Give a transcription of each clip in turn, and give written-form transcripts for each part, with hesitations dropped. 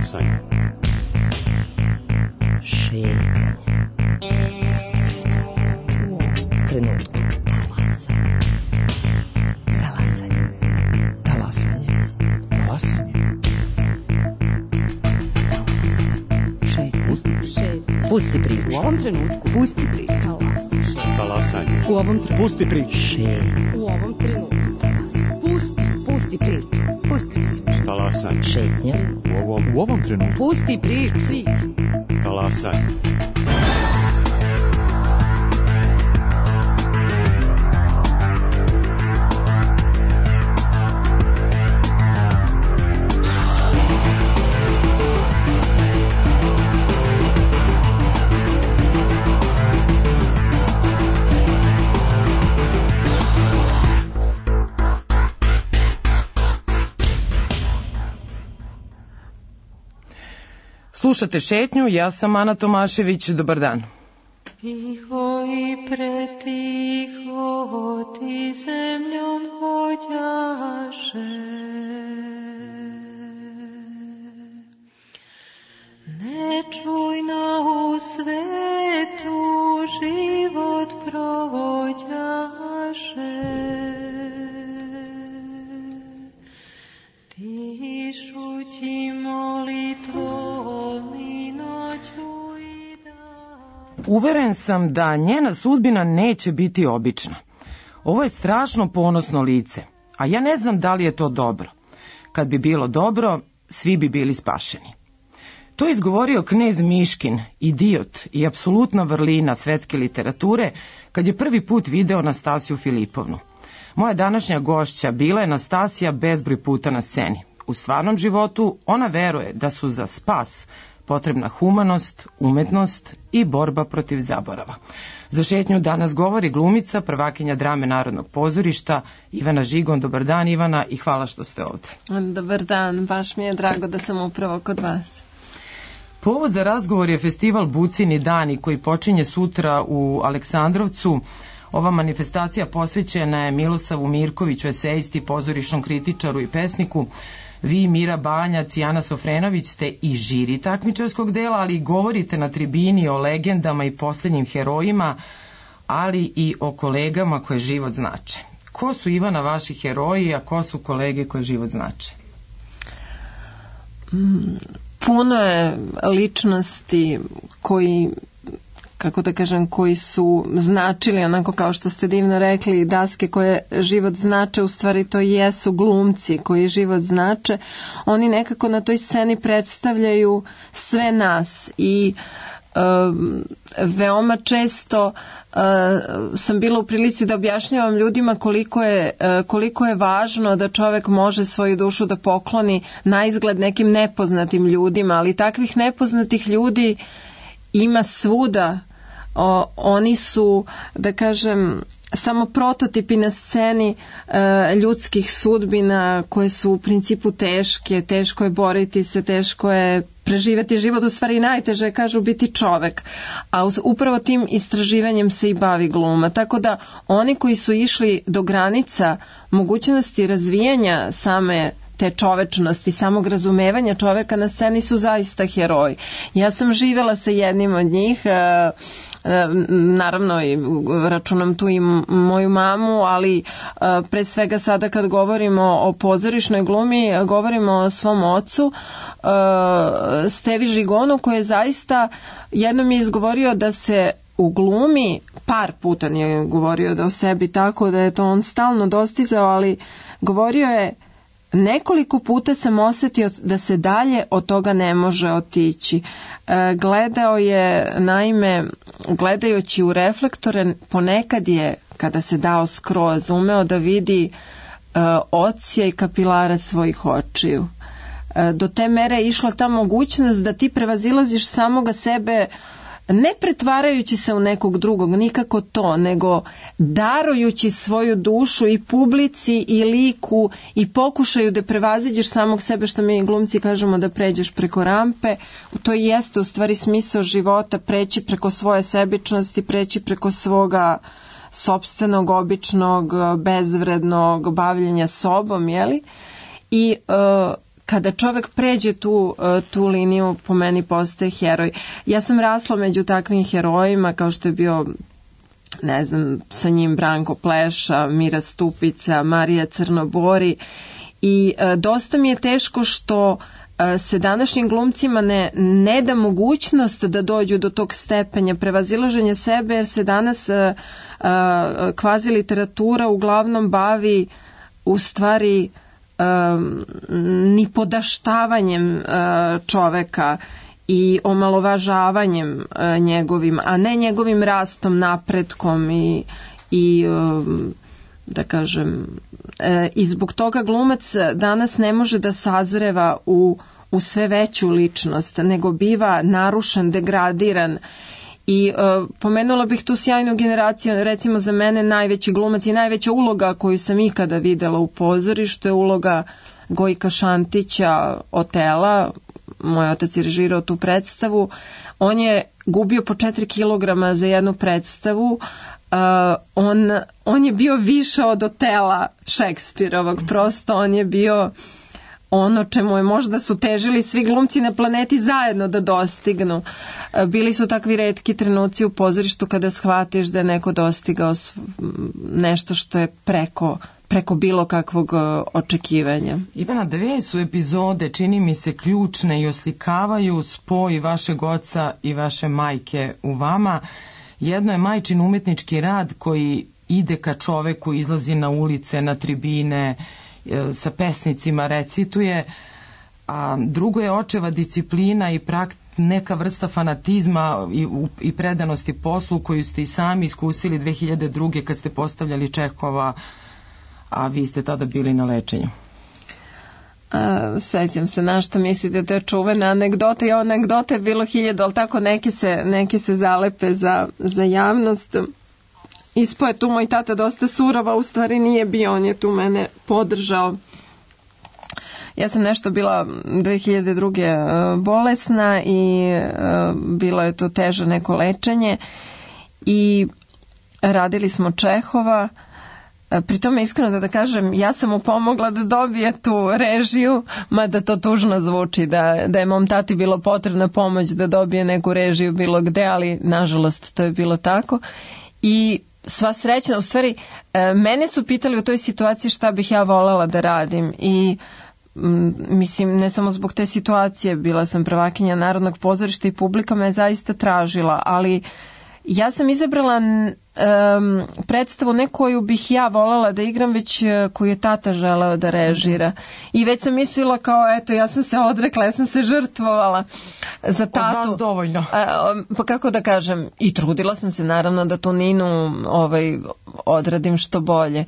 Talasanje. Šetnja. Trenutku. Talasanje. Talasanje. Talasanje. Šetnja. Pusti priču. U ovom trenutku. Pusti priču. Talasanje. U ovom trenutku. Pusti priču. Šetnja. U ovom trenutku. Pusti priču. Pusti priču. Talasanje. Šetnja. U ovom trenutku. Pusti priču. Talasanje. Slušate Šetnju, ja sam Ana Tomašević, dobar dan. Tiho i pretiho ti zemljom hođaše, nečujno u svetu život provođaše, tišući molitvom i noću i dan. Uveren sam da njena sudbina neće biti obična. Ovo je strašno ponosno lice, a ja ne znam da li je to dobro. Kad bi bilo dobro, svi bi bili spašeni. To je izgovorio knez Miškin, idiot i apsolutna vrlina svetske literature, kad je prvi put video Nastasiju Filipovnu. Moja današnja gošća bila je Nastasija bezbroj puta na sceni. U stvarnom životu ona veruje da su za spas potrebna humanost, umetnost i borba protiv zaborava. Za Šetnju danas govori glumica, prvakinja drame Narodnog pozorišta, Ivana Žigon. Dobar dan, Ivana, i hvala što ste ovde. Dobar dan, baš mi je drago da sam upravo kod vas. Povod za razgovor je festival Bucini dani koji počinje sutra u Aleksandrovcu. Ova manifestacija posvećena je Milosavu Mirkoviću, esejisti, pozorišnom kritičaru i pesniku. Vi, Mira Banjac i Ana Sofrenović, ste i žiri takmičarskog dela, ali govorite na tribini o legendama i poslednjim herojima, ali i o kolegama koje život znače. Ko su, Ivana, vaši heroji, a ko su kolege koje život znače? Puno je ličnosti koji, kako da kažem, koji su značili, onako kao što ste divno rekli, daske koje život znače, u stvari to jesu glumci koji život znače. Oni nekako na toj sceni predstavljaju sve nas i veoma često sam bila u prilici da objašnjavam ljudima koliko je važno da čovek može svoju dušu da pokloni na izgled nekim nepoznatim ljudima, ali takvih nepoznatih ljudi ima svuda. Oni su, da kažem, samo prototipi na sceni ljudskih sudbina koje su u principu teške, teško je boriti se, teško je preživeti život, u stvari najteže je, kažu, biti čovek. A upravo tim istraživanjem se i bavi gluma. Tako da oni koji su išli do granica mogućnosti razvijanja same te čovečnosti, samog razumevanja čoveka na sceni su zaista heroji. Ja sam živela sa jednim od njih, naravno i računam tu i moju mamu, ali pre svega sada kad govorimo o pozorišnoj glumi, govorimo o svom ocu, Stevi Žigonu, koji je zaista jednom je izgovorio da se u glumi, par puta nije govorio da o sebi tako, da je to on stalno dostizao, ali govorio je: nekoliko puta sam osetio da se dalje od toga ne može otići. Gledao je, naime, gledajući u reflektore, ponekad je, kada se dao skroz, umeo da vidi odsjaj kapilara svojih očiju. Do te mere je išla ta mogućnost da ti prevazilaziš samoga sebe, ne pretvarajući se u nekog drugog, nikako to, nego darujući svoju dušu i publici i liku i pokušaju da prevaziđeš samog sebe, što mi glumci kažemo da pređeš preko rampe. To i jeste u stvari smisao života, preći preko svoje sebičnosti, preći preko svoga sopstvenog, običnog, bezvrednog bavljenja sobom, jeli? I kada čovek pređe tu liniju, po meni postaje heroj. Ja sam rasla među takvim herojima, kao što je bio, ne znam, sa njim Branko Pleša, Mira Stupica, Marija Crnobori, i dosta mi je teško što se današnjim glumcima ne da mogućnost da dođu do tog stepenja prevazilaženja sebe, jer se danas kvazi literatura uglavnom bavi u stvari nipodaštavanjem čoveka i omalovažavanjem njegovim, a ne njegovim rastom, napretkom i da kažem, i zbog toga glumac danas ne može da sazreva u sve veću ličnost, nego biva narušen, degradiran. I pomenula bih tu sjajnu generaciju, recimo za mene najveći glumac i najveća uloga koju sam ikada videla u pozorištu je uloga Gojka Šantića, Otela. Moj otac je režirao tu predstavu. On je gubio po 4 kilograma za jednu predstavu. On je bio više od Otela Šekspirovog, prosto on je bio ono čemu je možda su težili svi glumci na planeti zajedno da dostignu. Bili su takvi retki trenuci u pozorištu kada shvatiš da je neko dostigao nešto što je preko bilo kakvog očekivanja. Ivana, 2 su epizode, čini mi se, ključne i oslikavaju spoj vašeg oca i vaše majke u vama. Jedno je majčin umetnički rad koji ide ka čoveku, izlazi na ulice, na tribine, sa pesnicima recituje, a drugo je očeva disciplina i neka vrsta fanatizma i predanosti poslu koju ste i sami iskusili 2002. kad ste postavljali Čehova, a vi ste tada bili na lečenju. Sećam se na što mislite, to je čuvena anegdota i anegdota je bilo 1000, ali tako neke se zalepe za javnost. Ispo je tu moj tata dosta surova, u stvari nije bio, on je tu mene podržao. Ja sam nešto bila 2002. bolesna i bilo je to teže neko lečenje i radili smo Čehova. Pri tome iskreno da kažem, ja sam mu pomogla da dobije tu režiju, mada to tužno zvuči, da je mom tati bilo potrebna pomoć da dobije neku režiju bilo gde, ali nažalost to je bilo tako. I sva srećna, u stvari, mene su pitali u toj situaciji šta bih ja voljela da radim i mislim, ne samo zbog te situacije, bila sam prvakinja Narodnog pozorišta i publika me je zaista tražila, ali ja sam izabrala predstavu ne koju bih ja voljela da igram, već koju je tata želeo da režira. I već sam mislila kao, eto, ja sam se odrekla, ja sam se žrtvovala za tatu. Od vas dovoljno. Pa kako da kažem, i trudila sam se naravno da tu Ninu odradim što bolje.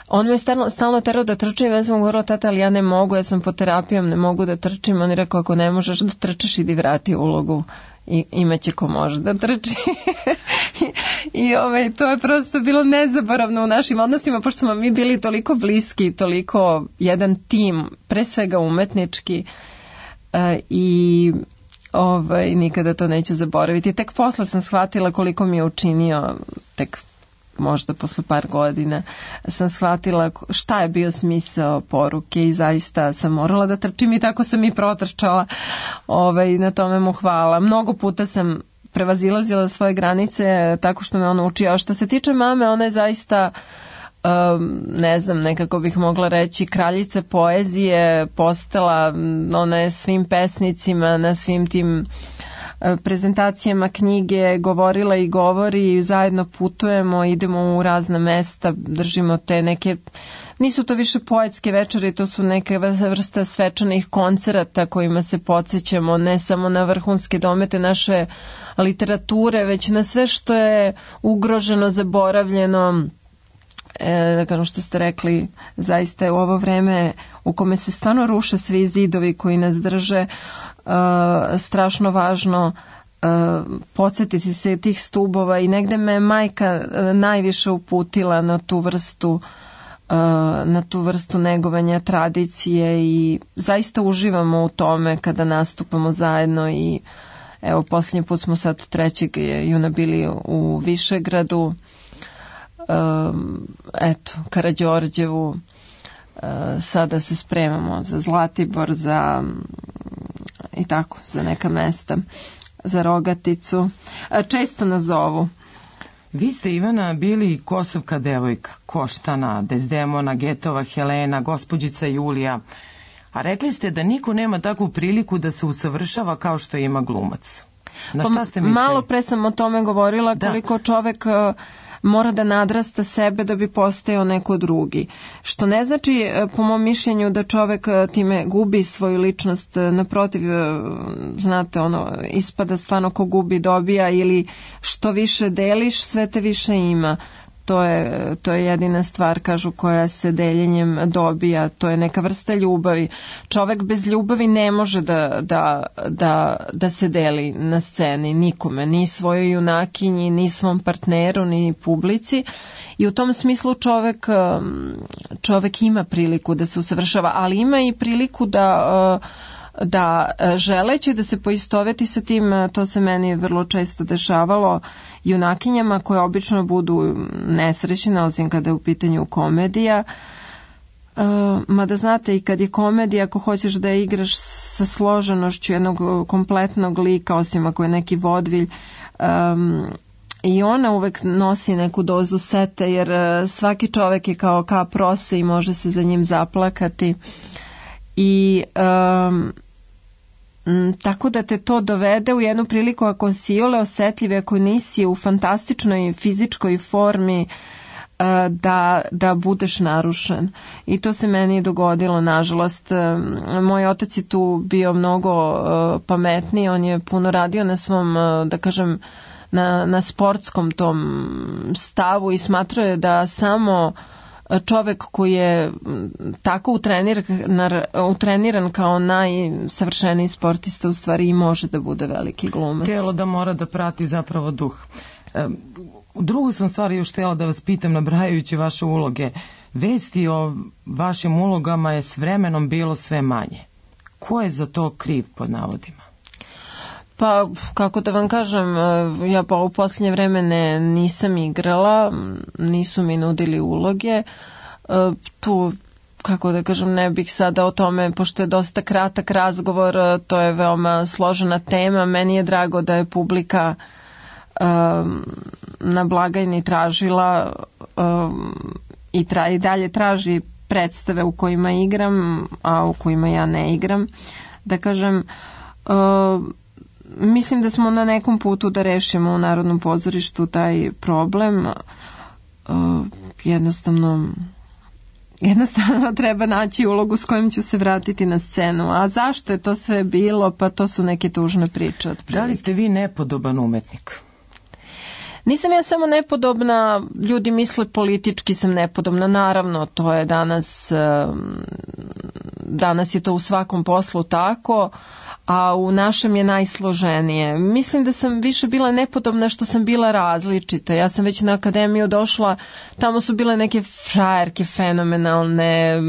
On me stalno terao da trčim, ja sam govorila, tata, ali ja ne mogu, ja sam pod terapijom, ne mogu da trčim. On je rekao, ako ne možeš da trčiš, idi vrati ulogu. I imaće ko može da trči. I to je prosto bilo nezaboravno u našim odnosima, pošto smo mi bili toliko bliski, toliko jedan tim, pre svega umetnički, i nikada to neću zaboraviti. Tek posle sam shvatila koliko mi je učinio, tek možda posle par godina sam shvatila šta je bio smisao poruke i zaista sam morala da trčim i tako sam i protrčala. Na tome mu hvala. Mnogo puta sam prevazilazila svoje granice tako što me on učio. A što se tiče mame, ona je zaista, ne znam, nekako bih mogla reći, kraljica poezije, postala, ona je svim pesnicima na svim tim prezentacijama knjige govorila i govori, zajedno putujemo, idemo u razna mesta, držimo te neke, nisu to više poetske večeri, to su neke vrsta svečanih koncerata kojima se podsjećamo ne samo na vrhunske domete naše literature, već na sve što je ugroženo, zaboravljeno. Da kažem što ste rekli, zaista je u ovo vreme u kome se stvarno ruše svi zidovi koji nas drže, strašno važno podsjetiti se tih stubova i negde me majka najviše uputila na tu vrstu negovanja tradicije i zaista uživamo u tome kada nastupamo zajedno. I evo, posljednji put smo sad 3. juna bili u Višegradu, Karađorđevu, sada se spremamo za Zlatibor, za i tako, za neka mesta, za Rogaticu. Često nas zovu. Vi ste, Ivana, bili kosovka devojka, Koštana, Dezdemona, Getova, Helena, gospođica Julija, a rekli ste da niko nema takvu priliku da se usavršava kao što ima glumac. Na šta ste mislili? Malo pre sam o tome govorila, koliko čovek mora da nadrasta sebe da bi postao neko drugi. Što ne znači, po mom mišljenju, da čovek time gubi svoju ličnost. Naprotiv, znate, ispada stvarno ko gubi dobija, ili što više deliš, sve te više ima. To je jedina stvar, kažu, koja se deljenjem dobija. To je neka vrsta ljubavi. Čovek bez ljubavi ne može da se deli na sceni nikome, ni svojoj junakinji, ni svom partneru, ni publici. I u tom smislu čovek ima priliku da se usavršava, ali ima i priliku da želeći da se poistoveti sa tim, to se meni vrlo često dešavalo, junakinjama koje obično budu nesrećne, osim kada je u pitanju komedija. Mada znate, i kad je komedija, ako hoćeš da je igraš sa složenošću jednog kompletnog lika, osim ako je neki vodvilj, i ona uvek nosi neku dozu sete, jer svaki čovek je kao kap rose i može se za njim zaplakati. I tako da te to dovede u jednu priliku, ako si iole osetljiv, ako nisi u fantastičnoj fizičkoj formi, da budeš narušen. I to se meni dogodilo, nažalost. Moj otac je tu bio mnogo pametniji, on je puno radio na svom, da kažem, na sportskom tom stavu i smatrao je da samo čovek koji je tako utreniran kao najsavršeniji sportista u stvari i može da bude veliki glumac. Telo da mora da prati zapravo duh. Drugu sam stvar još htjela da vas pitam, nabrajajući vaše uloge. Vesti o vašim ulogama je s vremenom bilo sve manje. Ko je za to kriv, pod navodima? Pa, kako da vam kažem, ja pa u posljednje vreme nisam igrala, nisu mi nudili uloge. Tu, kako da kažem, ne bih sada o tome, pošto je dosta kratak razgovor, to je veoma složena tema. Meni je drago da je publika na blagajni tražila i dalje traži predstave u kojima igram, a u kojima ja ne igram. Da kažem, mislim da smo na nekom putu da rešimo u Narodnom pozorištu taj problem. Jednostavno treba naći ulogu s kojom ću se vratiti na scenu. A zašto je to sve bilo? Pa to su neke tužne priče. Otprilike. Da li ste vi nepodoban umetnik? Nisam ja samo nepodobna, ljudi misle politički sam nepodobna, naravno, to je danas je to u svakom poslu tako, a u našem je najsloženije. Mislim da sam više bila nepodobna što sam bila različita. Ja sam već na akademiju došla, tamo su bile neke frajerke fenomenalne,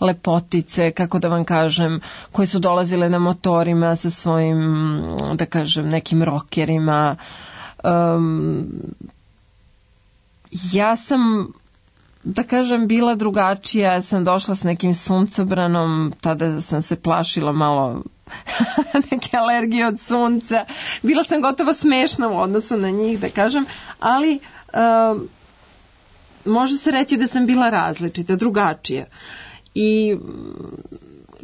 lepotice, kako da vam kažem, koje su dolazile na motorima sa svojim, da kažem, nekim rokerima. Ja sam, da kažem, bila drugačija, ja sam došla s nekim suncobranom, tada sam se plašila malo neke alergije od sunca, bila sam gotovo smešna u odnosu na njih, da kažem, ali može se reći da sam bila različita, drugačija. I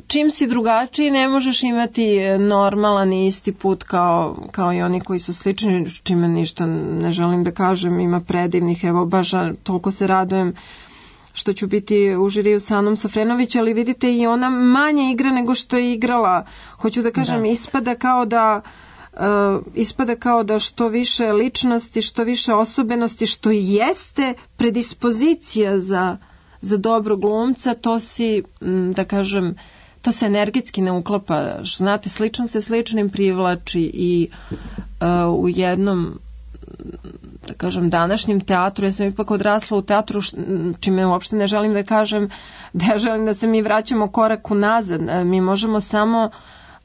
čim si drugačiji ne možeš imati normalan i isti put kao i oni koji su slični, čime ništa ne želim da kažem, ima predivnih, evo baš toliko se radujem što ću biti u žiriju sa Anom Safrenović, ali vidite i ona manje igra nego što je igrala. Hoću da kažem, ispada kao da što više ličnosti, što više osobenosti, što jeste predispozicija za dobro glumca, to si, da kažem, to se energetski ne uklapa. Znate, slično se sličnim privlači i u jednom, da kažem, današnjem teatru, ja sam ipak odrasla u teatru, čime uopšte ne želim da kažem da ja želim da se mi vraćamo korak unazad. Mi možemo samo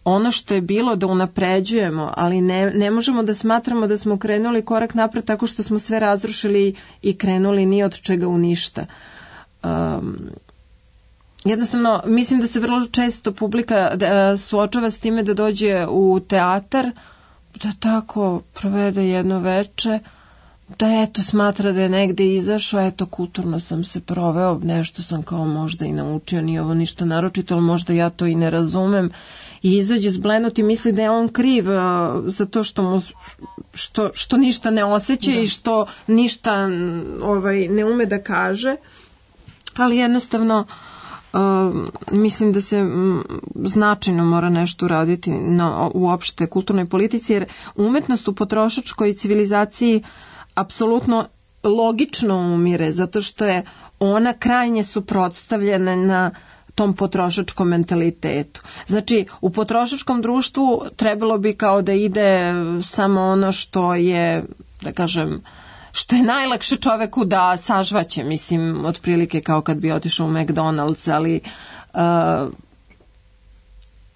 ono što je bilo da unapređujemo, ali ne možemo da smatramo da smo krenuli korak napred tako što smo sve razrušili i krenuli ni od čega u ništa. jednostavno mislim da se vrlo često publika suočava s time da dođe u teatar, da tako provede jedno veče, da eto smatra da je negde izašao, eto kulturno sam se proveo, nešto sam kao možda i naučio, nije ovo ništa naročito, ali možda ja to i ne razumem, i izađe zblenut i misli da je on kriv za to što ništa ne osjeća i što ništa ne ume da kaže, ali jednostavno mislim da se značajno mora nešto uraditi na uopšte kulturnoj politici, jer umetnost u potrošačkoj civilizaciji apsolutno logično umire, zato što je ona krajnje suprotstavljena na tom potrošačkom mentalitetu. Znači, u potrošačkom društvu trebalo bi kao da ide samo ono što je, da kažem, što je najlakše čoveku da sažvaće, mislim, otprilike kao kad bi otišao u McDonald's, ali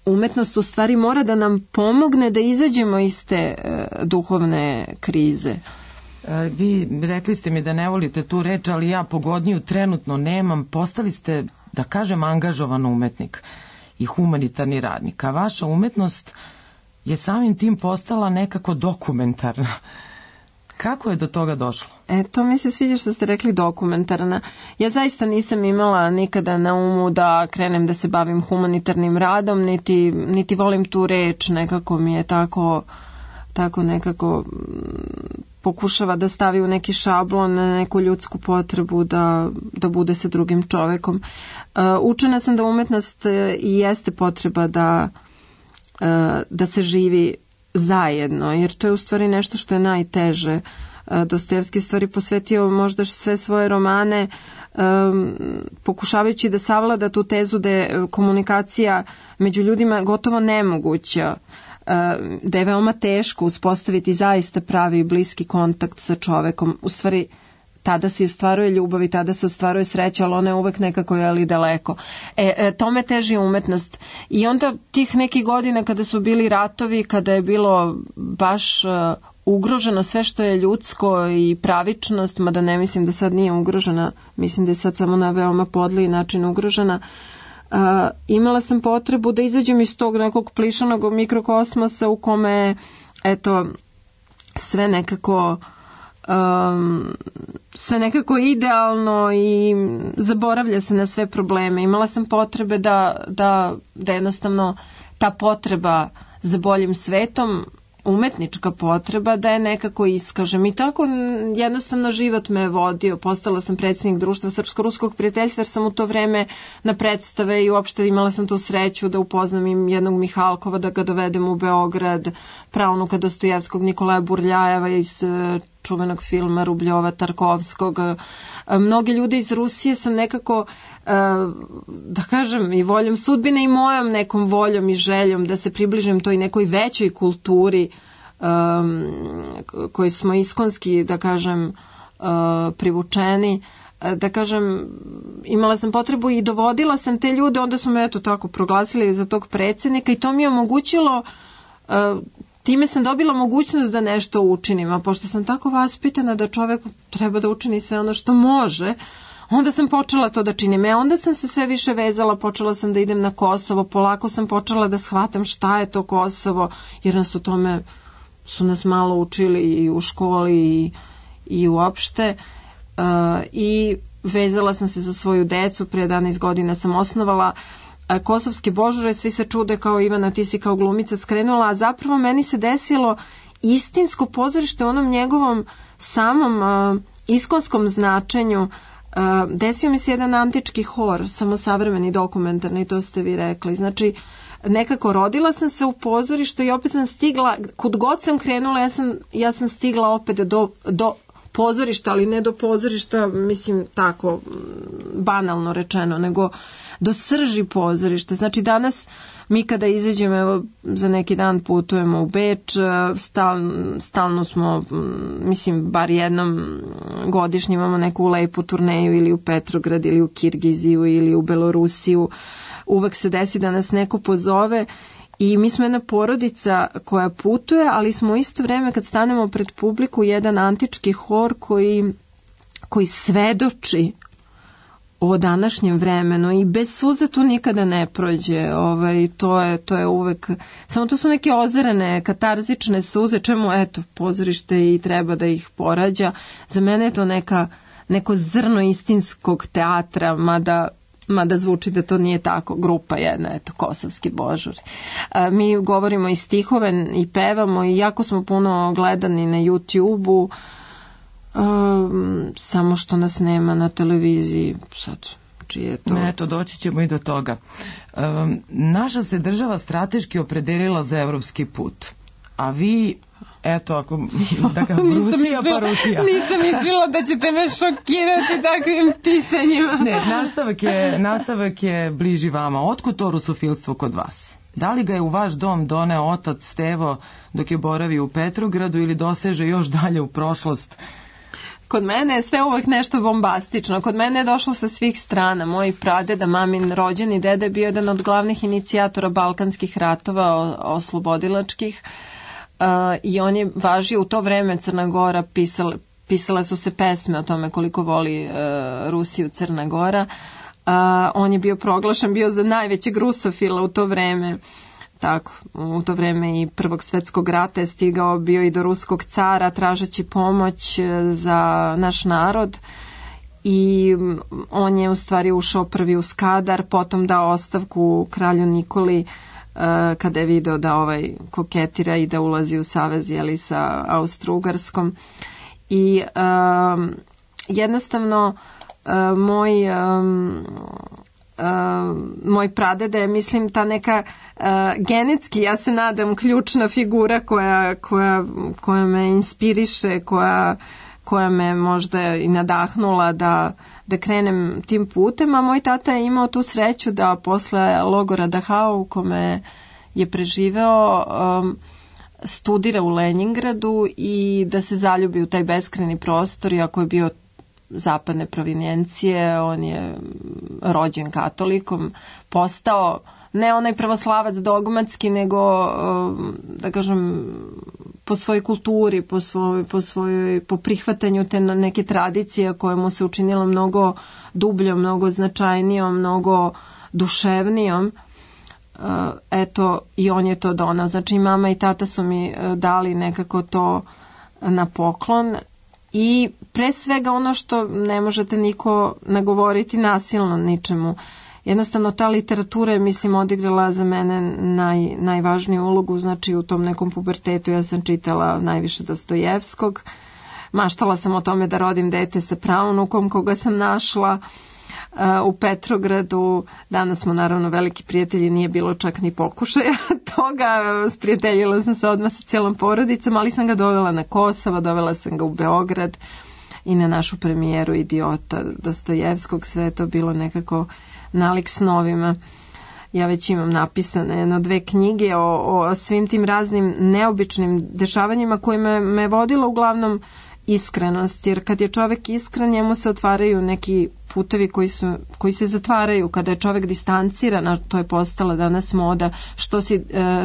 umetnost u stvari mora da nam pomogne da izađemo iz te duhovne krize. Vi rekli ste mi da ne volite tu reč, ali ja pogodniju trenutno nemam. Postali ste, da kažem, angažovan umetnik i humanitarni radnik, a vaša umetnost je samim tim postala nekako dokumentarna. Kako je do toga došlo? To mi se sviđa što ste rekli dokumentarna. Ja zaista nisam imala nikada na umu da krenem da se bavim humanitarnim radom, niti volim tu reč, nekako mi je tako nekako pokušava da stavi u neki šablon, na neku ljudsku potrebu da bude sa drugim čovekom. Učena sam da umetnost i jeste potreba da se živi zajedno, jer to je u stvari nešto što je najteže. Dostojevski u stvari posvetio možda sve svoje romane pokušavajući da savlada tu tezu da je komunikacija među ljudima gotovo nemoguća, da je veoma teško uspostaviti zaista pravi i bliski kontakt sa čovekom. U stvari tada se ostvaruje ljubav i tada se ostvaruje sreća, ali ona je uvek nekako daleko. Tome teži umetnost. I onda tih nekih godina kada su bili ratovi, kada je bilo baš ugroženo sve što je ljudsko i pravičnost, mada ne mislim da sad nije ugrožena, mislim da je sad samo na veoma podliji način ugrožena, imala sam potrebu da izađem iz tog nekog plišanog mikrokosmosa u kome sve nekako idealno i zaboravlja se na sve probleme. Imala sam potrebe da jednostavno ta potreba za boljim svetom, umetnička potreba, da je nekako iskažem. I tako jednostavno život me je vodio. Postala sam predsjednik društva Srpsko-ruskog prijateljstva, jer sam u to vreme na predstave i uopšte imala sam tu sreću da upoznam im jednog Mihalkova, da ga dovedem u Beograd, praunuka Dostojevskog Nikolaja Burljajeva iz čuvenog filma Rubljova Tarkovskog. Mnoge ljude iz Rusije sam nekako, da kažem, i voljom sudbine i mojom nekom voljom i željom da se približim toj nekoj većoj kulturi koji smo iskonski, da kažem, privučeni, da kažem, imala sam potrebu i dovodila sam te ljude, onda su me tako proglasili za tog predsjednika i to mi je omogućilo, time sam dobila mogućnost da nešto učinim, a pošto sam tako vaspitana da čovjek treba da učini sve ono što može, onda sam počela to da činim. Onda sam se sve više vezala, počela sam da idem na Kosovo, polako sam počela da shvatam šta je to Kosovo, jer nas o tome su nas malo učili i u školi i uopšte. I vezala sam se za svoju decu, prije 11 godina sam osnovala Kosovske božure, svi se čude kao Ivana, ti si kao glumica skrenula, a zapravo meni se desilo istinsko pozorište u onom njegovom samom iskonskom značenju. Desio mi se jedan antički hor, samo savremeni, dokumentarni, to ste vi rekli. Znači, nekako rodila sam se u pozorištu i opet sam stigla, kud god sam krenula, ja sam stigla opet do pozorišta, ali ne do pozorišta, mislim tako, banalno rečeno, nego do srži pozorišta. Znači, danas mi kada izađemo, evo, za neki dan putujemo u Beč, stalno smo, mislim, bar jednom godišnje imamo neku lepu turneju ili u Petrograd ili u Kirgiziju ili u Belorusiju. Uvek se desi da nas neko pozove i mi smo jedna porodica koja putuje, ali smo isto vreme kad stanemo pred publiku jedan antički hor koji svedoči o današnjem vremenu i bez suza to nikada ne prođe. To je uvek, samo to su neke ozarene, katarzične suze, čemu eto pozorište i treba da ih porađa. Za mene je to neko zrno istinskog teatra, mada zvuči da to nije tako, grupa jedna, eto, Kosovski božuri. Mi govorimo i stihove i pevamo i jako smo puno gledani na YouTube-u, samo što nas nema na televiziji sad. Čije to? Eto, doći ćemo i do toga. Naša se država strateški opredelila za evropski put, a vi, eto, ako da ga Rusija pa Rusija. Nisam mislila da ćete me šokirati takvim pitanjima. Ne, nastavak je bliži vama. Otkud to rusofilstvo kod vas? Da li ga je u vaš dom doneo otac Stevo dok je boravio u Petrogradu ili doseže još dalje u prošlost? Kod mene je sve uvek nešto bombastično. Kod mene je došlo sa svih strana. Moj pradeda, mamin rođeni deda je bio jedan od glavnih inicijatora balkanskih ratova oslobodilačkih i on je važio u to vreme. Crna Gora, pisale su se pesme o tome koliko voli Rusiju Crna Gora. On je bio proglašen, bio za najvećeg rusofila u to vreme. Tako, u to vreme i Prvog svetskog rata je stigao, bio i do ruskog cara tražeći pomoć za naš narod i on je u stvari ušao prvi u Skadar, potom dao ostavku kralju Nikoli kada je video da koketira i da ulazi u savez sa Austro-Ugarskom i jednostavno moj pradeda je, mislim, ta neka genetski, ja se nadam, ključna figura koja me inspiriše, koja me možda i nadahnula da krenem tim putem, a moj tata je imao tu sreću da posle logora Dachau u kome je preživeo studira u Leningradu i da se zaljubi u taj beskrajni prostor, iako je bio zapadne provinijencije, on je rođen katolikom, postao ne onaj pravoslavac dogmatski, nego da kažem po svojoj kulturi, po prihvatanju te neke tradicije koje mu se učinilo mnogo dubljom, mnogo značajnijom, mnogo duševnijom. Eto, i on je to donao. Znači i mama i tata su mi dali nekako to na poklon. I pre svega ono što ne možete niko nagovoriti nasilno ničemu. Jednostavno ta literatura je, mislim, odigrala za mene najvažniju ulogu, znači u tom nekom pubertetu ja sam čitala najviše Dostojevskog. Maštala sam o tome da rodim dete sa praunukom koga sam našla u Petrogradu. Danas smo naravno veliki prijatelji, nije bilo čak ni pokušaja toga. Sprijateljila sam se odmah sa cijelom porodicom, ali sam ga dovela na Kosovo, dovela sam ga u Beograd i na našu premijeru Idiota Dostojevskog. Sve je to bilo nekako nalik snovima. Ja već imam napisane 2 knjige o svim tim raznim neobičnim dešavanjima koje me vodilo uglavnom iskrenost, jer kad je čovjek iskren njemu se otvaraju neki putevi koji se zatvaraju. Kada je čovjek distanciran, a to je postala danas moda,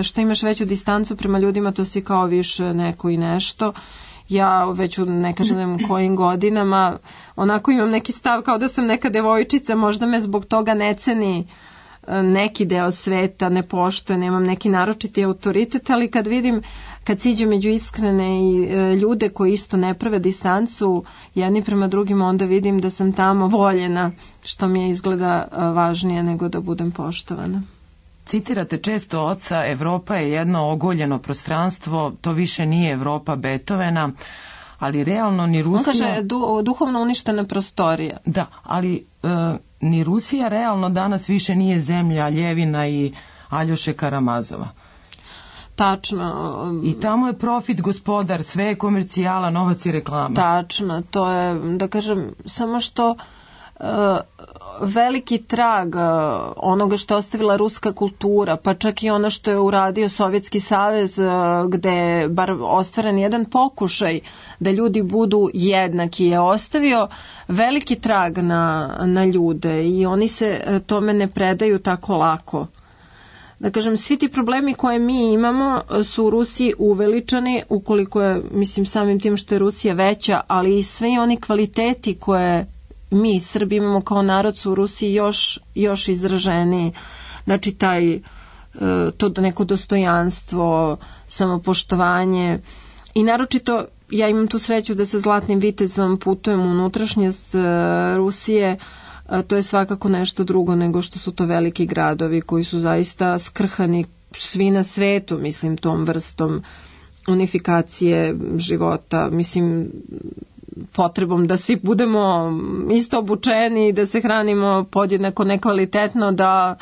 što imaš veću distancu prema ljudima, to si kao više neko i nešto. Ja već u ne kažem kojim godinama onako imam neki stav kao da sam neka devojčica, možda me zbog toga ne ceni neki deo sveta, ne poštuje, nemam neki naročiti autoritet, ali kad siđem među iskrene i ljude koji isto ne prave distancu jedni prema drugima, onda vidim da sam tamo voljena, što mi je izgleda važnije nego da budem poštovana. Citirate često oca, Evropa je jedno ogoljeno prostranstvo, to više nije Evropa Beethovena, ali realno ni Rusija... On kaže duhovno uništena prostorija. Da, ali ni Rusija realno danas više nije zemlja Ljevina i Aljoše Karamazova. Tačno. I tamo je profit gospodar, sve je komercijala, novac i reklama. Tačno, to je, da kažem, samo što veliki trag onoga što je ostavila ruska kultura, pa čak i ono što je uradio Sovjetski savez, gde je bar ostvaren jedan pokušaj da ljudi budu jednaki, je ostavio veliki trag na ljude i oni se tome ne predaju tako lako. Da kažem, svi ti problemi koje mi imamo su u Rusiji uveličani, ukoliko je, mislim, samim tim što je Rusija veća, ali i sve oni kvaliteti koje mi Srbi imamo kao narod su u Rusiji još izraženiji. Znači to neko dostojanstvo, samopoštovanje i naročito ja imam tu sreću da sa Zlatnim vitezom putujem u unutrašnjost Rusije. To je svakako nešto drugo nego što su to veliki gradovi koji su zaista skrhani svi na svetu, mislim, tom vrstom unifikacije života, mislim, potrebom da svi budemo isto obučeni, da se hranimo podjednako nekvalitetno, da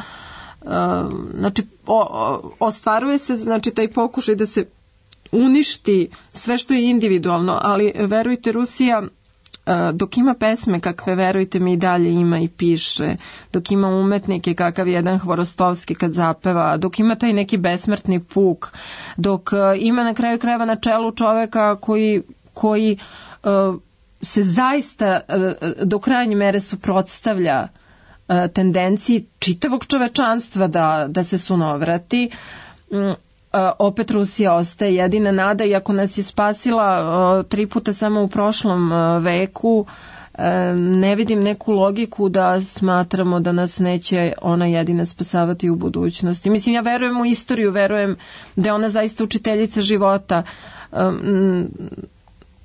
znači ostvaruje se znači taj pokušaj da se uništi sve što je individualno, ali verujte, Rusija dok ima pesme kakve, verujte mi, i dalje ima i piše, dok ima umetnike kakav jedan Hvorostovski kad zapeva, dok ima taj neki besmrtni puk, dok ima na kraju krajeva na čelu čoveka koji se zaista do krajnje mere suprotstavlja tendenciji čitavog čovečanstva da se sunovrati, opet Rusija ostaje jedina nada, iako nas je spasila 3 puta samo u prošlom veku. Ne vidim neku logiku da smatramo da nas neće ona jedina spasavati u budućnosti. Mislim, ja verujem u istoriju, verujem da je ona zaista učiteljica života.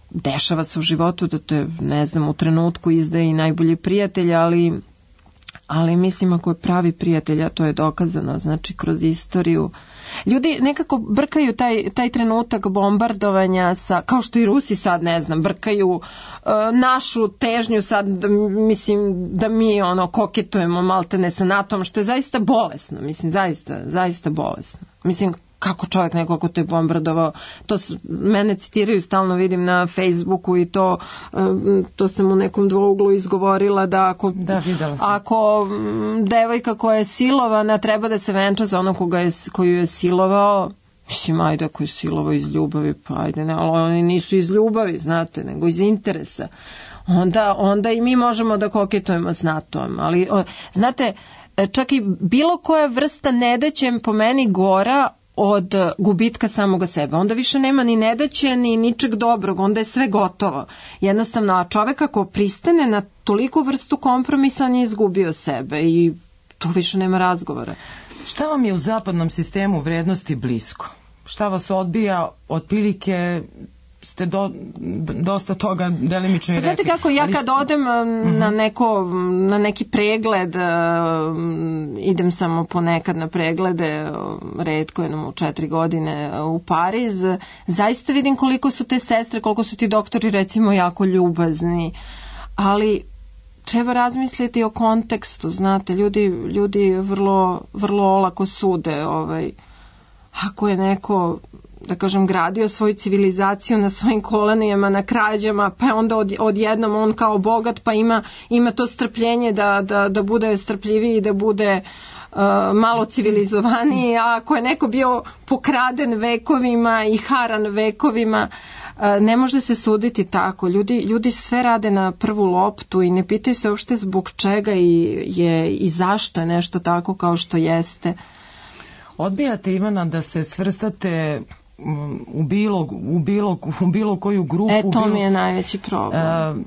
Dešava se u životu da te, ne znam, u trenutku izdaje i najbolji prijatelj, ali mislim ako je pravi prijatelj, a to je dokazano, znači kroz istoriju. Ljudi nekako brkaju taj trenutak bombardovanja sa, kao što i Rusi sad, ne znam, brkaju našu težnju sad, mislim, da mi koketujemo maltene sa NATO-om, što je zaista bolesno, mislim, zaista bolesno. Mislim, kako čovjek neko ko te je bombardovao, to mene citiraju, stalno vidim na Facebooku i to sam u nekom dvouglu izgovorila da ako devojka koja je silovana treba da se venča za onog koju je silovao, mislim, ajde, ako je silovao iz ljubavi, pa ajde, ne, ali oni nisu iz ljubavi, znate, nego iz interesa. Onda i mi možemo da koketujemo s NATO-om, ali znate, čak i bilo koja vrsta nedaće po meni gora od gubitka samoga sebe. Onda više nema ni nedaće, ni ničeg dobrog, onda je sve gotovo. Jednostavno, a čovek ako pristane na toliku vrstu kompromisa, on je izgubio sebe i tu više nema razgovora. Šta vam je u zapadnom sistemu vrednosti blisko? Šta vas odbija? Otprilike ste dosta toga delimično i rekli. Znate kako, ja kad odem na neki pregled, idem samo ponekad na preglede, retko jednom u 4 godine u Pariz, zaista vidim koliko su te sestre, koliko su ti doktori recimo jako ljubazni, ali treba razmisliti o kontekstu, znate, ljudi vrlo, vrlo olako sude, ako je neko, da kažem, gradio svoju civilizaciju na svojim kolenima, na krađama, pa onda odjednom on kao bogat, pa ima to strpljenje da bude strpljiviji, da bude malo civilizovaniji, a ako je neko bio pokraden vekovima i haran vekovima, ne može se suditi tako. Ljudi sve rade na prvu loptu i ne pitaju se uopšte zbog čega i zašto je nešto tako kao što jeste. Odbijate, Ivana, da se svrstate u bilo koju grupu. To mi je najveći problem.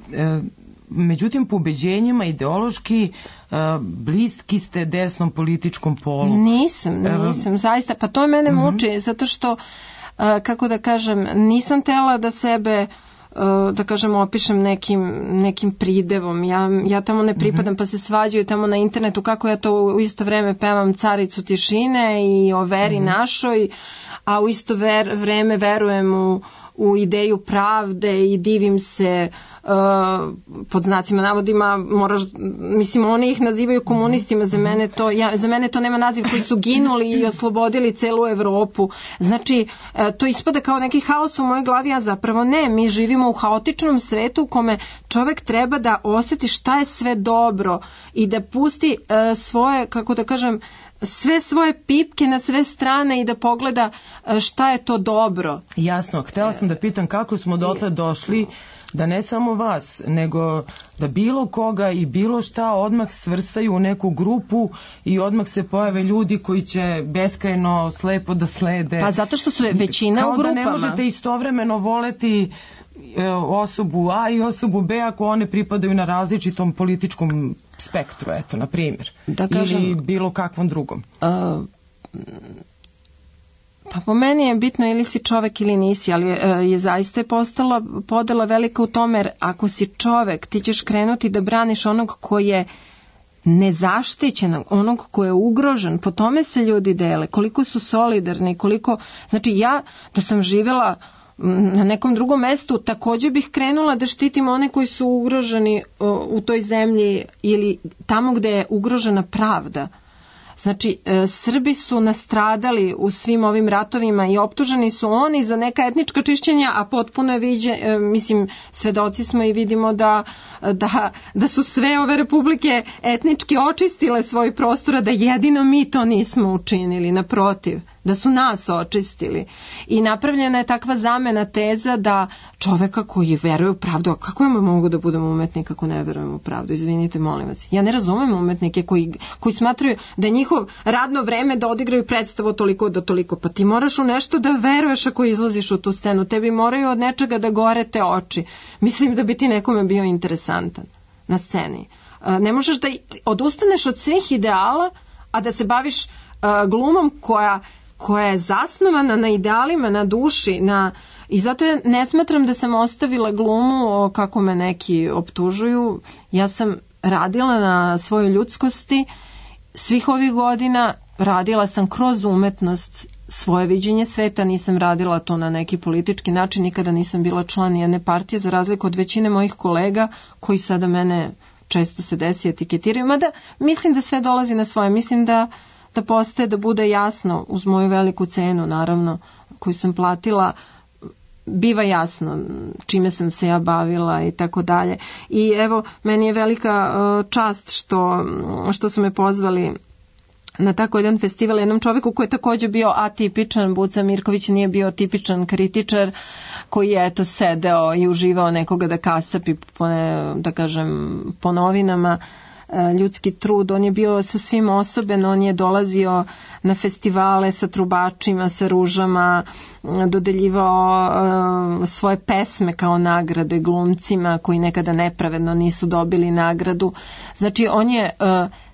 Međutim, po ubeđenjima ideološki bliski ste desnom političkom polu. Nisam, zaista. Pa to je mene muči, zato što, kako da kažem, nisam tela da sebe, da kažem, opišem nekim pridevom. Ja tamo ne pripadam, pa se svađaju tamo na internetu kako ja to u isto vreme pevam Caricu tišine i o veri našoj, a u isto vreme verujem u ideju pravde i divim se, pod znacima navodima, mislim, oni ih nazivaju komunistima, za mene to nema naziv, koji su ginuli i oslobodili celu Evropu. Znači, to ispada kao neki haos u mojoj glavi, a zapravo ne, mi živimo u haotičnom svetu u kome čovek treba da osjeti šta je sve dobro i da pusti svoje, kako da kažem, sve svoje pipke na sve strane i da pogleda šta je to dobro. Jasno, htjela sam da pitam kako smo dotle došli da ne samo vas, nego da bilo koga i bilo šta odmah svrstaju u neku grupu i odmah se pojave ljudi koji će beskrajno slepo da slede. Pa zato što su većina u grupama. Kao da ne možete istovremeno voleti osobu A i osobu B ako one pripadaju na različitom političkom spektru, eto, na primjer, da kažem, ili bilo kakvom drugom? Pa po meni je bitno ili si čovek ili nisi, ali je zaista postala podela velika u tome, jer ako si čovek, ti ćeš krenuti da braniš onog ko je nezaštićen, onog ko je ugrožen, po tome se ljudi dele, koliko su solidarni, koliko, znači ja da sam živjela na nekom drugom mestu, također bih krenula da štitim one koji su ugroženi u toj zemlji ili tamo gde je ugrožena pravda. Znači, Srbi su nastradali u svim ovim ratovima i optuženi su oni za neka etnička čišćenja, a potpuno je mislim, svedoci smo i vidimo da su sve ove republike etnički očistile svoj prostor, a da jedino mi to nismo učinili, naprotiv, da su nas očistili. I napravljena je takva zamena teza da čoveka koji veruje u pravdu, a kako ja mogu da budem umetnik ako ne verujem u pravdu? Izvinite, molim vas. Ja ne razumem umetnike koji smatraju da je njihov radno vreme da odigraju predstavu toliko do toliko. Pa ti moraš u nešto da veruješ ako izlaziš u tu scenu. Tebi moraju od nečega da gore te oči. Mislim da bi ti nekome bio interesantan na sceni. Ne možeš da odustaneš od svih ideala, a da se baviš glumom koja je zasnovana na idealima, na duši, i zato ja ne smatram da sam ostavila glumu kako me neki optužuju. Ja sam radila na svojoj ljudskosti svih ovih godina, radila sam kroz umetnost svoje viđenje sveta, nisam radila to na neki politički način, nikada nisam bila član jedne partije, za razliku od većine mojih kolega koji sada mene često se desi etiketiraju, mada mislim da sve dolazi na svoje, mislim da postaje, da bude jasno, uz moju veliku cenu naravno koju sam platila, biva jasno čime sam se ja bavila i tako dalje. I evo, meni je velika čast što su me pozvali na tako jedan festival, jednom čovjeku koji je također bio atipičan. Buca Mirković nije bio tipičan kritičar koji je eto sedeo i uživao nekoga da kasapi da kažem po novinama. Ljudski trud, on je bio sasvim osoben, on je dolazio na festivale sa trubačima, sa ružama, dodeljivao svoje pesme kao nagrade glumcima koji nekada nepravedno nisu dobili nagradu. Znači on je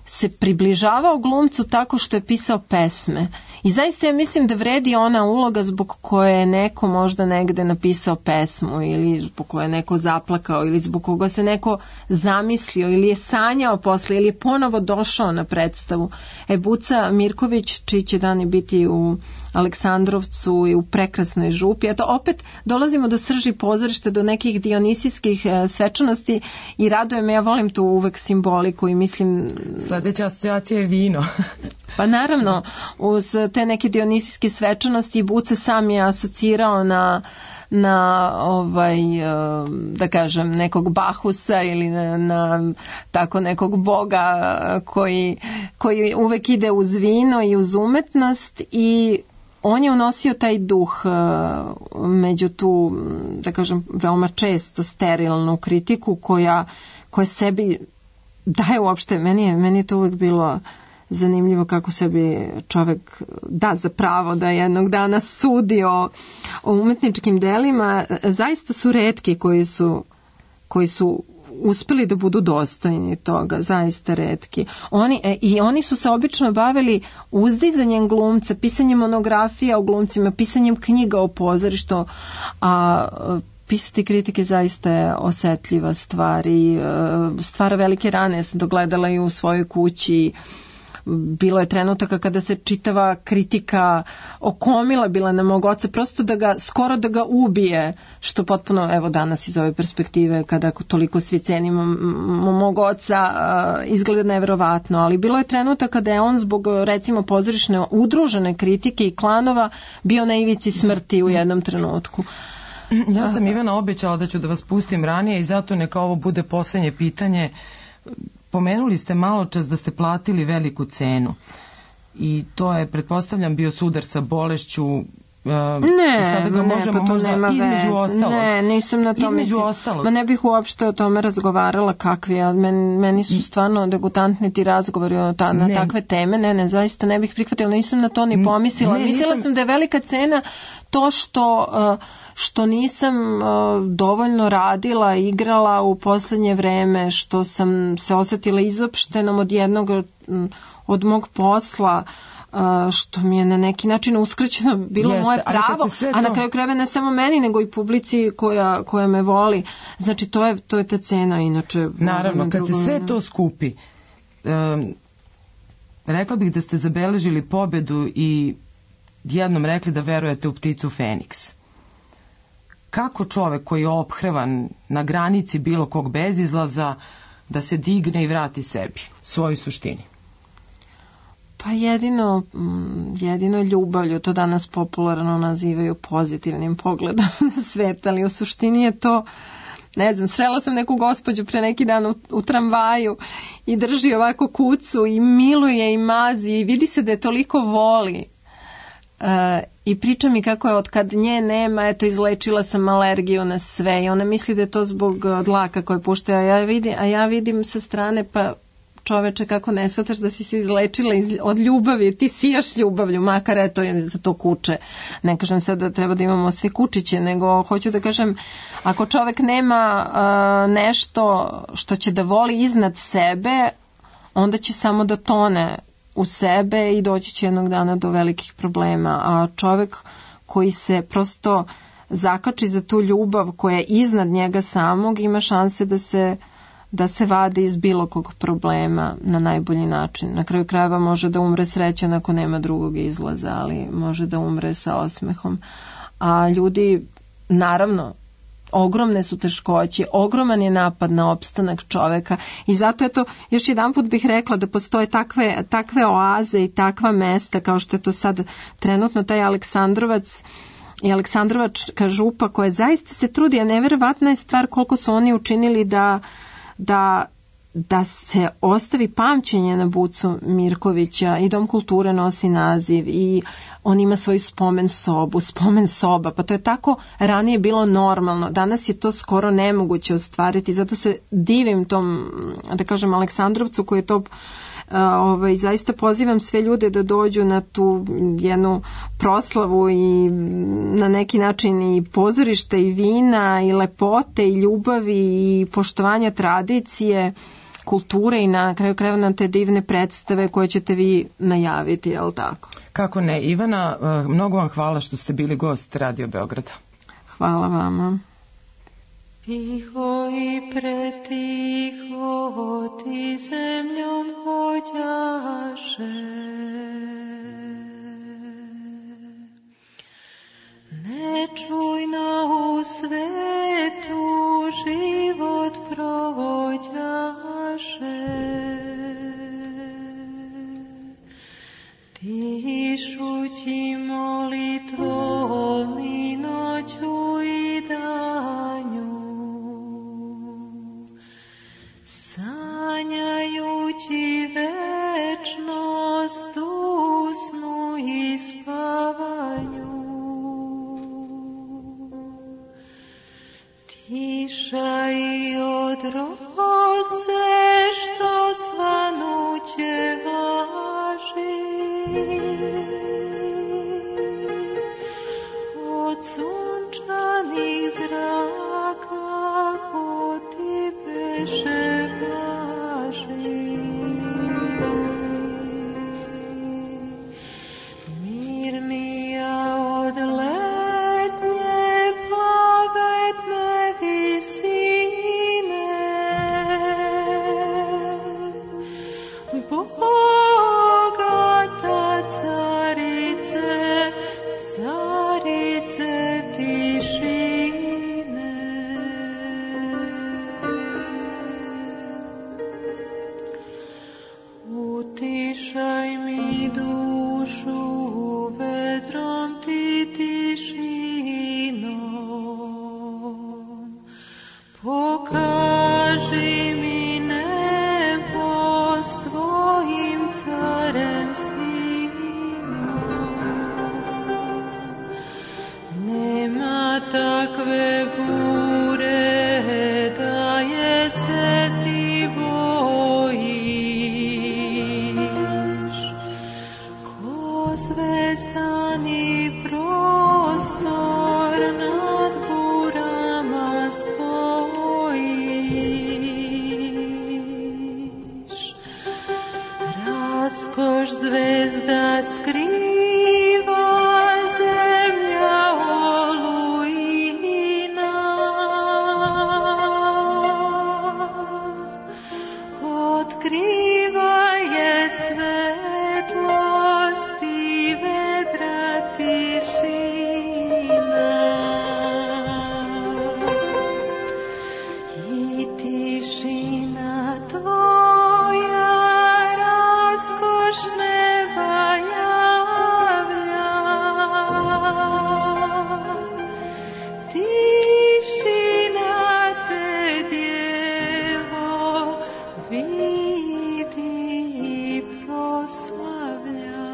se približavao glumcu tako što je pisao pesme. I zaista ja mislim da vredi ona uloga zbog koje je neko možda negde napisao pesmu ili zbog koje je neko zaplakao ili zbog koga se neko zamislio ili je sanjao posle ili je ponovo došao na predstavu. Buca Mirković, čiji će dani biti u Aleksandrovcu i u prekrasnoj župi. Eto, opet dolazimo do srži pozorišta, do nekih dionisijskih svečanosti i raduje me, ja volim tu uvek simboliku i mislim... Sljedeća asocijacija je vino. Pa naravno, uz te neke dionisijske svečanosti Buca sam je asocirao na da kažem nekog Bahusa ili na tako nekog boga koji uvek ide uz vino i uz umetnost i on je unosio taj duh među tu, da kažem, veoma često sterilnu kritiku koja sebi daje uopšte, meni je to uvek bilo zanimljivo kako sebi čovjek da za pravo da jednog dana sudi o umetničkim delima. Zaista su retki koji su uspeli da budu dostojni toga, zaista retki. Oni su se obično bavili uzdizanjem glumca, pisanjem monografija o glumcima, pisanjem knjiga o pozorištu, a pisati kritike zaista je osetljiva stvar i stvara velike rane. Ja sam dogledala i u svojoj kući. Bilo je trenutaka kada se čitava kritika okomila bila na mog oca, prosto skoro da ga ubije, što potpuno, evo danas iz ove perspektive, kada toliko svi cenimo mog oca, izgleda neverovatno, ali bilo je trenutaka kada je on zbog, recimo, pozorišne udružene kritike i klanova bio na ivici smrti u jednom trenutku. Ja sam Ivana obećala da ću da vas pustim ranije i zato neka ovo bude posljednje pitanje. Pomenuli ste malo čas da ste platili veliku cenu i to je, pretpostavljam, bio sudar sa bolešću Ne, sada ga možemo pa to možda nema između veze. ostalog. Ne, nisam na tome. Između ostalog. Ma ne bih uopšte o tome razgovarala kakvi, ali meni su stvarno degutantni ti razgovori na takve teme. Ne, zaista ne bih prihvatila, nisam na to ni pomislila. Mislila sam da je velika cena to što nisam dovoljno radila, igrala u poslednje vreme, što sam se osetila izopštenom od mog posla, što mi je na neki način uskraćeno bilo moje pravo, a na kraju krajeva ne samo meni, nego i publici koja me voli. Znači, to je ta cena, inače... Naravno, kad se sve to skupi, rekla bih da ste zabeležili pobedu i jednom rekli da verujete u pticu Feniks. Kako čovek koji je ophrvan na granici bilo kog bezizlaza da se digne i vrati sebi, svojoj suštini? Pa jedino ljubavlju, to danas popularno nazivaju pozitivnim pogledom na svet, ali u suštini je to, ne znam, srela sam neku gospođu pre neki dan u tramvaju i drži ovako kucu i miluje i mazi i vidi se da je toliko voli. I priča mi kako je od kad nje nema, eto, izlečila sam alergiju na sve i ona misli da je to zbog dlaka koje pušta, a ja vidim sa strane, pa čoveče, kako ne shvataš da si se izlečila od ljubavi, ti sijaš ljubavlju, makar eto za to kuče. Ne kažem sad da treba da imamo sve kučiće, nego hoću da kažem, ako čovek nema nešto što će da voli iznad sebe, onda će samo da tone u sebe i doći će jednog dana do velikih problema. A čovek koji se prosto zakači za tu ljubav koja je iznad njega samog, ima šanse da se vadi iz bilo kog problema na najbolji način. Na kraju krajeva može da umre srećan ako nema drugog izlaza, ali može da umre sa osmehom. A ljudi, naravno, ogromne su teškoće, ogroman je napad na opstanak čoveka i zato još jedan put bih rekla da postoje takve oaze i takva mesta kao što je to sad trenutno taj Aleksandrovac i Aleksandrovačka župa koja zaista se trudi, a neverovatna je stvar koliko su oni učinili da se ostavi pamćenje na Bucu Mirkovića i Dom kulture nosi naziv i on ima svoju spomen soba, pa to je tako ranije bilo normalno. Danas je to skoro nemoguće ostvariti, zato se divim tom, da kažem, Aleksandrovcu koji je to zaista pozivam sve ljude da dođu na tu jednu proslavu i na neki način i pozorište i vina i lepote i ljubavi i poštovanja tradicije, kulture i na kraju krajeva na te divne predstave koje ćete vi najaviti, je li tako? Kako ne, Ivana, mnogo vam hvala što ste bili gost Radio Beograda. Hvala vama. Tiho i pretiho ti zemljom hođaše, nečujno u svetu život provođaše. Tišući molitvom i noću i danju, sanjajući večnost u snu i spavanju. Tiša i od roze što svanuće važi, od sunčanih zraka ko ti beše važi. Mirnija od letnje pavetne visine, bogata carice, carice tišine. Utišaj mi dušu vedrom ti tišinom, pokaži mi nebo s tvojim carem sinom. sve bure, da je se ti bojiš. Ko zvezdani prostor nad burama stojiš. Raskoš zvezda skriva, zemlja olujina. Otkriva je svetlost i vedra tišina. I tišina tvoja raskoš neba javlja. Tišina te, djevo, vidi i proslavlja.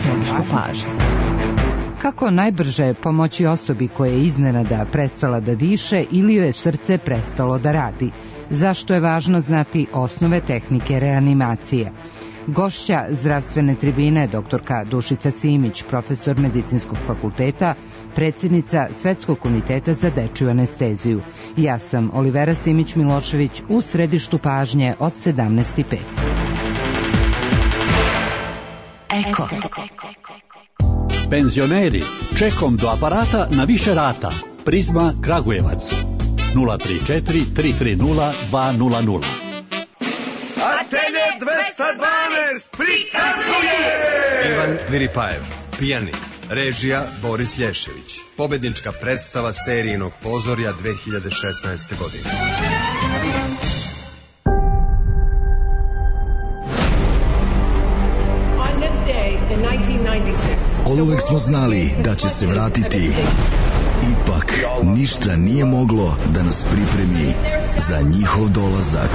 Središtu pažnje. Kako najbrže pomoći osobi koja je iznenada prestala da diše ili joj je srce prestalo da radi? Zašto je važno znati osnove tehnike reanimacije? Gošća zdravstvene tribine doktorka Dušica Simić, profesor Medicinskog fakulteta, predsjednica Svetskog komiteta za dečiju anesteziju. Ja sam Olivera Simić-Milošević u središtu pažnje od 17:05. Eko. Penzioneri, čekom do aparata na više rata. Prizma Kragujevac 034 330 200. Atelje 212 prikazuje Ivan Viripajev, pijanik, režija Boris Lješević. Pobednička predstava Sterijinog pozorja 2016. godine. Oduvek smo znali da će se vratiti. Ipak, ništa nije moglo da nas pripremi za njihov dolazak.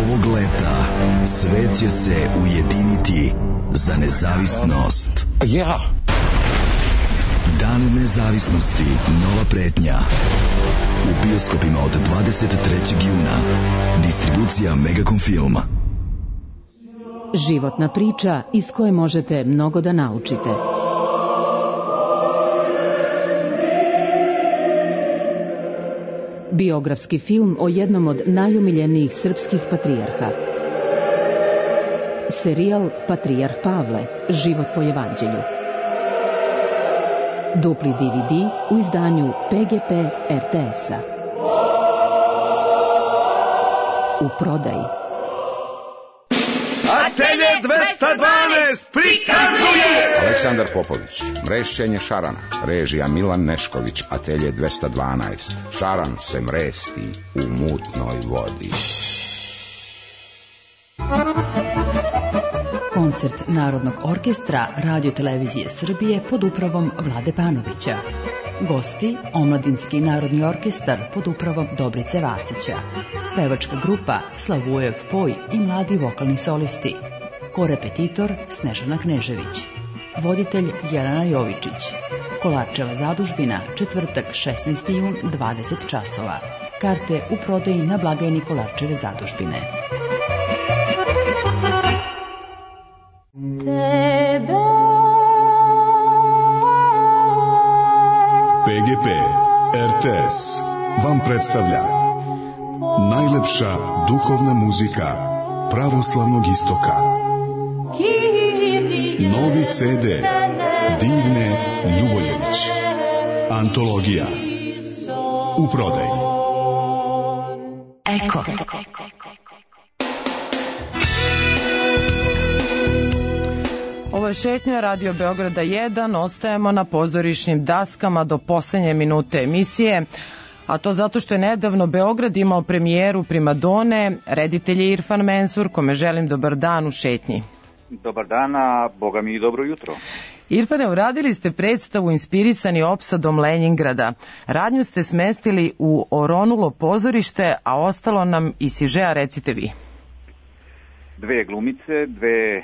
Ovog leta svet će se ujediniti za nezavisnost. Dan nezavisnosti, nova pretnja. U bioskopima od 23. juna. Distribucija Megacom Filma. Životna priča iz koje možete mnogo da naučite. Biografski film o jednom od najomiljenijih srpskih patrijarha. Serijal Patrijarh Pavle, život po evanđelju. Dupli DVD u izdanju PGP RTS-a. U prodaji. Atelje 212 prikazuje Aleksandar Popović, mrešćenje šarana, režija Milan Nešković, Atelje 212. Šaran se mresti u mutnoj vodi. Koncert Narodnog orkestra Radio-televizije Srbije pod upravom Vlade Panovića. Gosti, Omladinski narodni orkestar pod upravom Dobrice Vasića. Pevačka grupa Slavujev Poj i mladi vokalni solisti. Korepetitor Snežana Knežević. Voditelj Jelena Jovičić. Kolarčeva zadužbina, četvrtak 16. jun 20 časova. Karte u prodaji na blagajni Kolarčeve zadužbine. PGP RTS vam predstavlja najlepša duhovna muzika pravoslavnog istoka. Novi CD Divne Ljuboljević. Antologija. U prodaji. Eko. Ovo je šetnja Radio Beograda 1, ostajemo na pozorišnim daskama do poslednje minute emisije, a to zato što je nedavno Beograd imao premijeru Primadone, reditelj je Irfan Mensur, kome želim dobar dan u šetnji. Dobar dan, a boga mi i dobro jutro. Irfane, uradili ste predstavu inspirisani opsadom Lenjingrada. Radnju ste smestili u oronulo pozorište, a ostalo nam i sižea, recite vi. Dve glumice, dve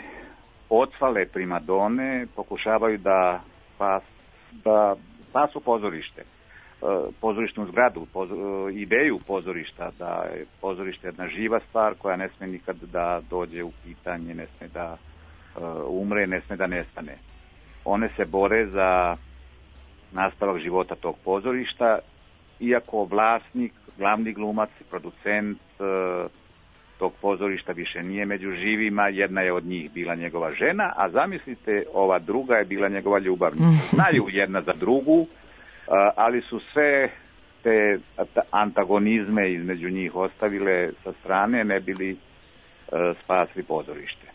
ocvale primadone pokušavaju da spasu pozorište. Pozorišnu zgradu, ideju pozorišta, da je pozorište jedna živa stvar koja ne sme nikad da dođe u pitanje, ne sme da umre, ne sme da nestane. One se bore za nastavak života tog pozorišta, iako vlasnik, glavni glumac i producent tog pozorišta više nije među živima, jedna je od njih bila njegova žena, a zamislite, ova druga je bila njegova ljubavnica. Znaju jedna za drugu, ali su sve te antagonizme između njih ostavile sa strane, ne bili spasli pozorište.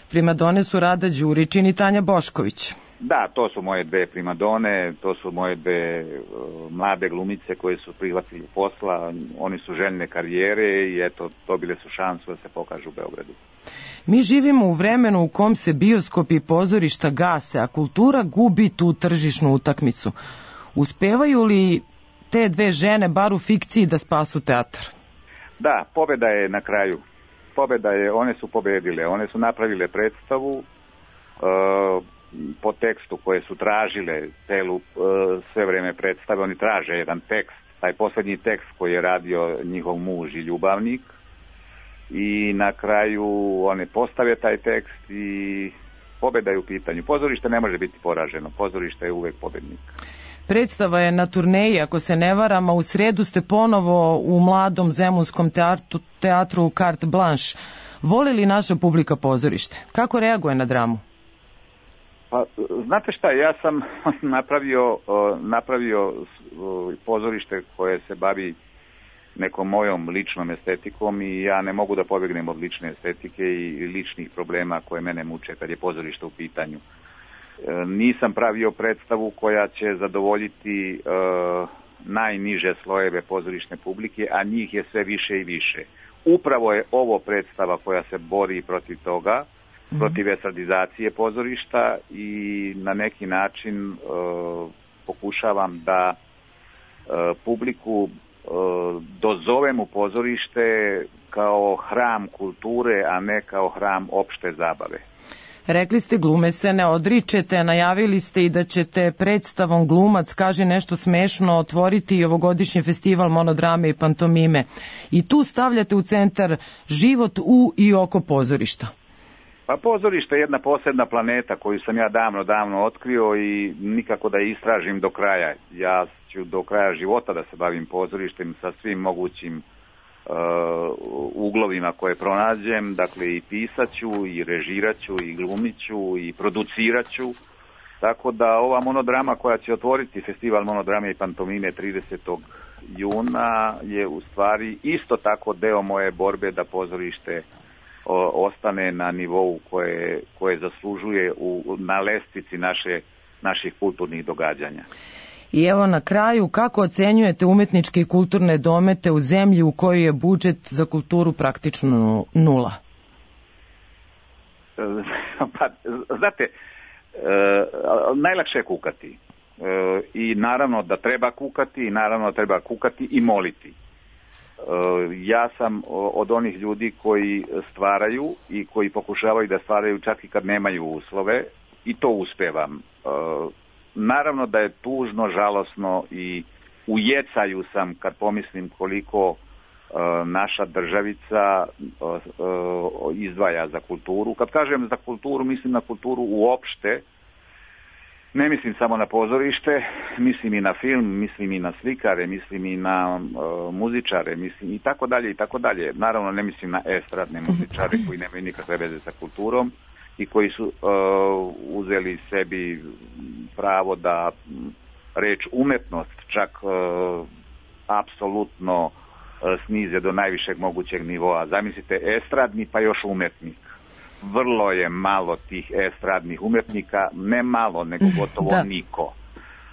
Primadone su Rada Đuričin i Tanja Bošković. Da, to su moje dve primadone, to su moje dve mlade glumice koje su prihvatili posla, oni su željne karijere i eto, dobile su šansu da se pokažu u Beogradu. Mi živimo u vremenu u kom se bioskopi i pozorišta gase, a kultura gubi tu tržišnu utakmicu. Uspevaju li te dve žene, bar u fikciji, da spasu teatar? Da, pobeda je na kraju. Pobeda je, one su pobedile, one su napravile predstavu po tekstu koje su tražile sve vreme predstave, oni traže jedan tekst, taj posljednji tekst koji je radio njihov muž i ljubavnik i na kraju one postave taj tekst i pobeda je u pitanju. Pozorište ne može biti poraženo, pozorište je uvek pobednik. Predstava je na turneji, ako se ne varam, a u sredu ste ponovo u mladom zemunskom teatru Carte Blanche. Voli li naša publika pozorište? Kako reaguje na dramu? Pa, znate šta, ja sam napravio pozorište koje se bavi nekom mojom ličnom estetikom i ja ne mogu da pobegnem od lične estetike i ličnih problema koje mene muče kad je pozorište u pitanju. Nisam pravio predstavu koja će zadovoljiti najniže slojeve pozorišne publike, a njih je sve više i više. Upravo je ovo predstava koja se bori protiv toga, protiv estradizacije pozorišta i na neki način pokušavam da publiku dozovem u pozorište kao hram kulture, a ne kao hram opšte zabave. Rekli ste, glume se ne odričete, najavili ste i da ćete predstavom Glumac kaže nešto smešno otvoriti i ovogodišnji festival monodrame i pantomime. I tu stavljate u centar život u i oko pozorišta. Pa pozorište je jedna posebna planeta koju sam ja davno otkrio i nikako da je istražim do kraja. Ja ću do kraja života da se bavim pozorištem sa svim mogućim uglovima koje pronađem, dakle i pisaću, i režiraću, i glumiću, i produciraću, tako da ova monodrama koja će otvoriti festival monodrame i pantomime 30. juna je u stvari isto tako deo moje borbe da pozorište ostane na nivou koje zaslužuje na lestvici naših kulturnih događanja. I evo na kraju, kako ocenjujete umetničke i kulturne domete u zemlji u kojoj je budžet za kulturu praktično nula? Pa, znate, najlakše je kukati. I naravno da treba kukati, i naravno da treba kukati i moliti. Ja sam od onih ljudi koji stvaraju i koji pokušavaju da stvaraju čak i kad nemaju uslove i to uspevam. Naravno da je tužno, žalosno i u jecaju sam kad pomislim koliko naša državica izdvaja za kulturu. Kad kažem za kulturu, mislim na kulturu uopšte, ne mislim samo na pozorište, mislim i na film, mislim i na slikare, mislim i na muzičare, mislim i tako dalje i tako dalje. Naravno ne mislim na estradne muzičare koji nemaju nikakve veze sa kulturom i koji su uzeli sebi pravo da reč umetnost čak apsolutno snize do najvišeg mogućeg nivoa. Zamislite, estradni pa još umetnik. Vrlo je malo tih estradnih umetnika, ne malo, nego gotovo niko.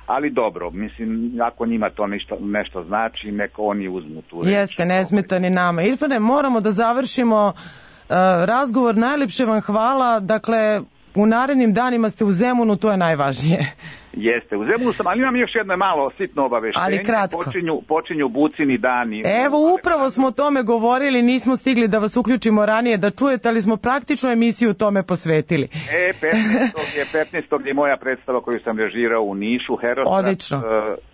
Ali dobro, mislim, ako njima to nešto znači, neko oni uzmu tu reč. Jeste, ne smeta ni nama. Irfane, moramo da završimo razgovor. Najlepše vam hvala. Dakle, u narednim danima ste u Zemunu, to je najvažnije. Jeste, u Zemunu sam, ali imam još jedno malo sitno obaveštenje. Ali kratko. Počinju Bucini dani. Evo, upravo smo o tome govorili, nismo stigli da vas uključimo ranije da čujete, ali smo praktično emisiju tome posvetili. 15. je moja predstava koju sam režirao u Nišu, Herostrat. Odlično.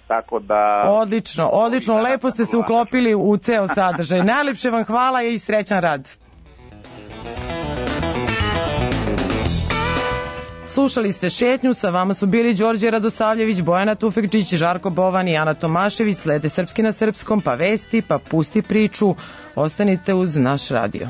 Tako da... Odlično, lepo ste se uklopili u ceo sadržaj. Najlepše vam hvala i srećan rad. Slušali ste Šetnju, sa vama su bili Đorđe Radosavljević, Bojana Tufekčić, Žarko Bovan i Ana Tomašević. Slede Srpski na srpskom, pa vesti, pa pusti priču. Ostanite uz naš radio.